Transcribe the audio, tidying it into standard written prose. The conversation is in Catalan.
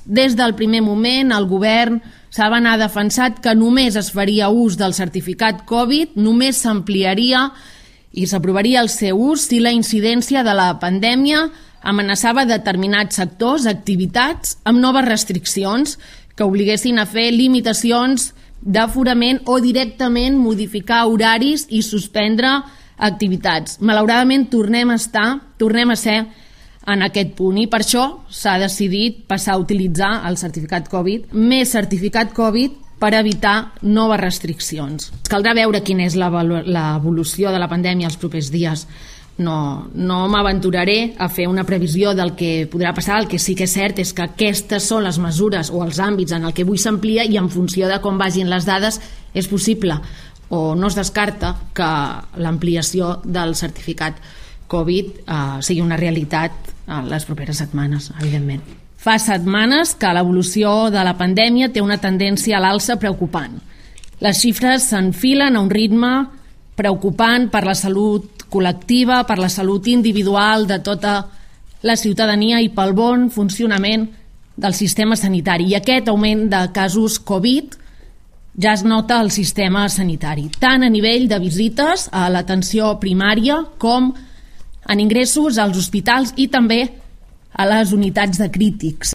Des del primer moment, el govern ha defensat que només es faria ús del certificat Covid, només s'ampliaria i s'aprovaria el seu ús si la incidència de la pandèmia amenaçava determinats sectors, activitats, amb noves restriccions que obliguessin a fer limitacions d'aforament o directament modificar horaris i suspendre activitats. Malauradament tornem a ser en aquest punt i per això s'ha decidit passar a utilitzar el certificat Covid, més certificat Covid, per evitar noves restriccions. Caldrà veure quina és l'evolució de la pandèmia els propers dies. No m'aventuraré a fer una previsió del que podrà passar. El que sí que és cert és que aquestes són les mesures o els àmbits en el que avui s'amplia i en funció de com vagin les dades és possible o no es descarta que l'ampliació del certificat Covid sigui una realitat en les properes setmanes, evidentment. Fa setmanes que l'evolució de la pandèmia té una tendència a l'alça preocupant. Les xifres s'enfilen a un ritme preocupant per la salut col·lectiva, per la salut individual de tota la ciutadania i pel bon funcionament del sistema sanitari. I aquest augment de casos Covid ja es nota al sistema sanitari, tant a nivell de visites a l'atenció primària com en ingressos als hospitals i també a les unitats de crítics.